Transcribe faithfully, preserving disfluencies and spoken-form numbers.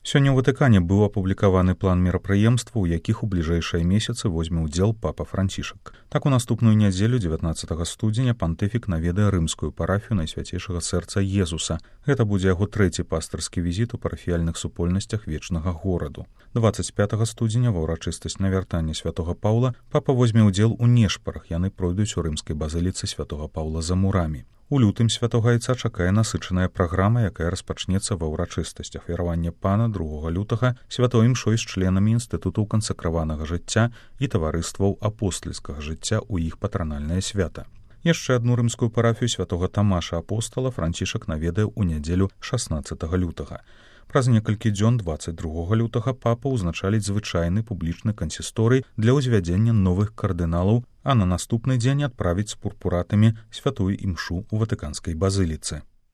Сёння ў Ватыкане быў апублікаваны план мерапрыемстваў, у якіх у бліжэйшыя месяцы возьме ўдзел папа Францішак. Так у наступную нядзелю дзевятнаццатага студзеня пантыфік наведае рымскую парафію Найсвяцейшага сэрца Езуса. Гэта будзе яго трэці пастырскі візіт у парафіяльных супольнасцях вечнага гораду. дваццаць пятага студзеня ва ўрачыстасць навяртання святога Паўла папа возьме ўдзел у нешпарах, яны пройдуць у рымскай базыліцы святога Паўла за мурамі. У лютым святога Айца чакае насычаная праграма, якая распачнецца ва ўрачыстасцях веравання пана другога лютага святой імшой з членамі інстытутаў кансакраванага жыцця і таварыстваў апостальскага жыцця ў іх патранальнае свята. Яшчэ адну рымскую парафію святога Тамаша апостала Францішак наведае ў нядзелю шаснаццатага лютага. Праз некалькі дзён дваццаць другога лютага папа ўзначаліць звычайны публічны кансісторый для ўзвядзення новых кардыналаў, а на наступны дзень адправіць з пурпуратамі святую імшу ў ватыканскай базыліцы.